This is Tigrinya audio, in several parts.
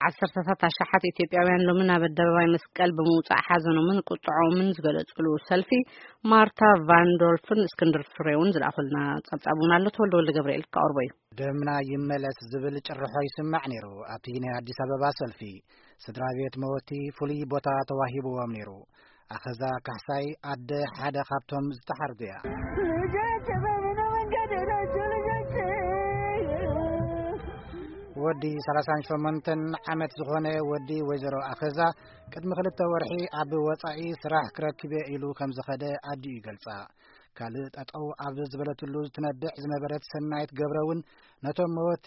ዓሰርተታት ኣሽሓት ኢትዮጵያውያን ሎሚ ናብ ኣደባባይ መስቀል ብምውጻእ ሓዘኖምን ቁጥዖምን ዝገለጹሉ ሰልፊ ማርታ ቫንዶልፍን እስክንድር ፍሬውን ዝለኣኹልና ጸብጻብ እውን ኣሎ። ተወልደ ወልደ ገብርኤል ክቐርቦ እዩ። ደምና ይመለስ ዝብል ጭርሖ ይስማዕ ነይሩ። ኣብቲ ናይ ኣዲስ ኣበባ ሰልፊ ስድራ ቤት መወቲ ፍሉይ ቦታ ተዋሂብዎም ነይሩ። ኣኸዛ ካሕሳይ ኣደ ሓደ ካብቶም ዝተሓርዱ እያ። ልጆች በምን መንገድ ናቸው ልጆች? ወዲ ሰላሳን ሸሞንተን ዓመት ዝኾነ ወዲ ወይዘሮ ኣኸዛ ቅድሚ ክልተ ወርሒ ኣብ ወጻኢ ስራሕ ክረክብ እየ ኢሉ ከም ዝኸደ ኣዲኡ ይገልጻ። ካልእ ጠጠው ኣብ ዝበለትሉ ትነብዕ ዝነበረት ሰናይት ገብረ እውን ነቶም መወቲ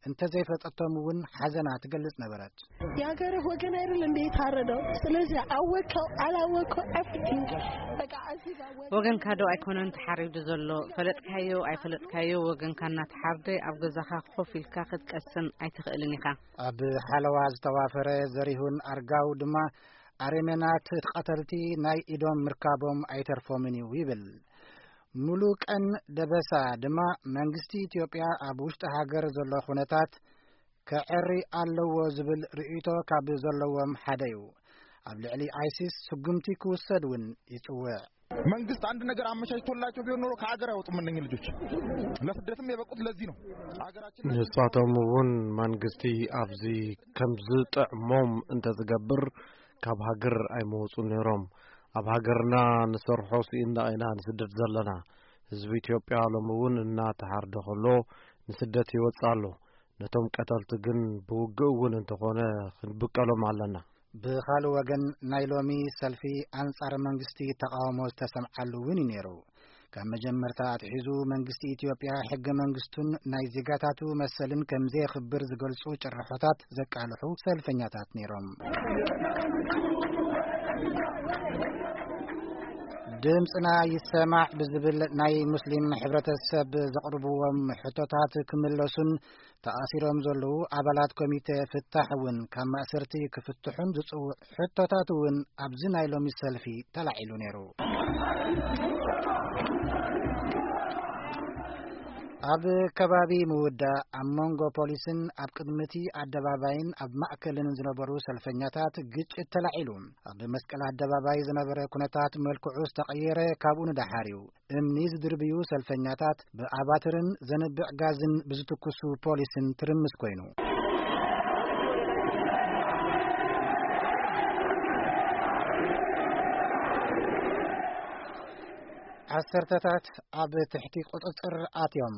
እንተዘይፈጠቶም እውን ሓዘና ትገልጽ ነበረት። የሀገርህ ወገን አይደል እንዴ የታረደው? ስለዚህ አወቀው አላወቀው everything በቃ እዚህ ጋር ወገን ወገንካ ዶ ኣይኮነን ተሓሪዱ ዘሎ? ፈለጥካዮ ኣይፈለጥካዮ፣ ወገንካ እናተሓርደ ኣብ ገዛኻ ኮፍ ኢልካ ክትቀስን ኣይትኽእልን ኢኻ። ኣብ ሓለዋ ዝተዋፈረ ዘሪሁን ኣርጋው ድማ ኣረሜናት ቀተልቲ ናይ ኢዶም ምርካቦም ኣይተርፎምን እዩ ይብል። ሙሉቀን ደበሳ ድማ መንግስቲ ኢትዮጵያ ኣብ ውሽጢ ሃገር ዘሎ ኩነታት ከዐሪ ኣለዎ ዝብል ርእይቶ ካብ ዘለዎም ሓደ እዩ። ኣብ ልዕሊ ኣይሲስ ስጉምቲ ክውሰድ እውን ይጽውዕ። መንግስት አንድ ነገር አመቻችቶላቸው ቢሆን ኖሮ ከሀገር አይወጡም እነኝህ ልጆች። ለስደትም የበቁት ለዚህ ነው። ሀገራችን ንሳቶም እውን መንግስቲ ኣብዚ ከም ዝጥዕሞም እንተዝገብር ካብ ሃገር ኣይመወጹ ነይሮም። ኣብ ሃገርና ንሰርሖ ስኢንና ኢና ንስደድ ዘለና። ህዝቢ ኢትዮጵያ ሎም እውን እናተሓርደ ከሎ ንስደት ይወጽእ ኣሎ። ነቶም ቀተልቲ ግን ብውግእ እውን እንተኾነ ክንብቀሎም ኣለና። ብኻልእ ወገን ናይ ሎሚ ሰልፊ ኣንጻር መንግስቲ ተቃውሞ ዝተሰምዓሉ እውን እዩ ነይሩ። ካብ መጀመርታ ኣትሒዙ መንግስቲ ኢትዮጵያ ሕገ መንግስቱን ናይ ዜጋታቱ መሰልን ከም ዘየኽብር ዝገልጹ ጭርሖታት ዘቃልሑ ሰልፈኛታት ነይሮም። ድምፅና ይሰማዕ ብዝብል ናይ ሙስሊም ሕብረተሰብ ዘቕርብዎም ሕቶታት ክምለሱን ተኣሲሮም ዘለዉ ኣባላት ኮሚቴ ፍታሕ እውን ካብ ማእሰርቲ ክፍትሑን ዝጽውዕ ሕቶታት እውን ኣብዚ ናይ ሎሚ ሰልፊ ተላዒሉ ነይሩ። ኣብ ከባቢ ምውዳእ ኣብ መንጎ ፖሊስን ኣብ ቅድሚ እቲ ኣደባባይን ኣብ ማእከልን ዝነበሩ ሰልፈኛታት ግጭት ተላዒሉ። ኣብ መስቀል ኣደባባይ ዝነበረ ኩነታት መልክዑ ዝተቐየረ ካብኡ ንደሓር እዩ። እምኒ ዝድርብዩ ሰልፈኛታት ብኣባትርን ዘንብዕ ጋዝን ብዝትኩሱ ፖሊስን ትርምስ ኮይኑ። ዓሰርተታት ኣብ ትሕቲ ቁጽጽር ኣትዮም።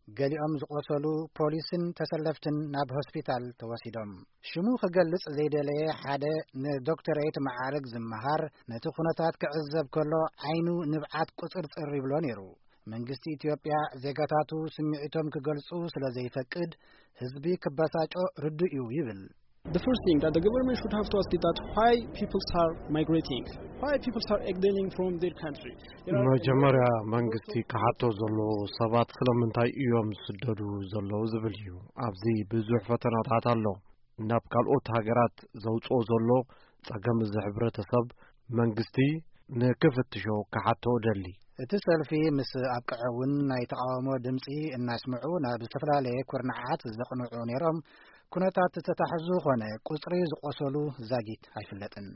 ገሊኦም ዝቖሰሉ ፖሊስን ተሰለፍትን ናብ ሆስፒታል ተወሲዶም። ሽሙ ክገልጽ ዘይደለየ ሓደ ንዶክተሬት መዓርግ ዝመሃር ነቲ ኩነታት ክዕዘብ ከሎ ዓይኑ ንብዓት ቁጽርጽር ይብሎ ነይሩ። መንግስቲ ኢትዮጵያ ዜጋታቱ ስምዒቶም ክገልጹ ስለ ዘይፈቅድ ህዝቢ ክበሳጮ ርዱእ እዩ ይብል። The first thing that the government should have to ask is that why people are migrating, why people are exiling from their country. There are መጀመርያ መንግስቲ ክሓቶ ዘለዎ ሰባት ስለምንታይ እዮም ዝስደዱ ዘለዉ ዝብል እዩ። ኣብዚ ብዙሕ ፈተናታት ኣሎ። ናብ ካልኦት ሃገራት ዘውፅኦ ዘሎ ጸገም እዚ ሕብረተሰብ መንግስቲ ንክፍትሾ ክሓቶ እደሊ። እቲ ሰልፊ ምስ ኣብቅዐ እውን ናይ ተቃውሞ ድምፂ እናስምዑ ናብ ዝተፈላለየ ኩርናዓት ዘቕንዑ ነይሮም። ኩነታት ዝተታሕዙ ኾነ ቁፅሪ ዝቆሰሉ ዛጊት ኣይፍለጥን።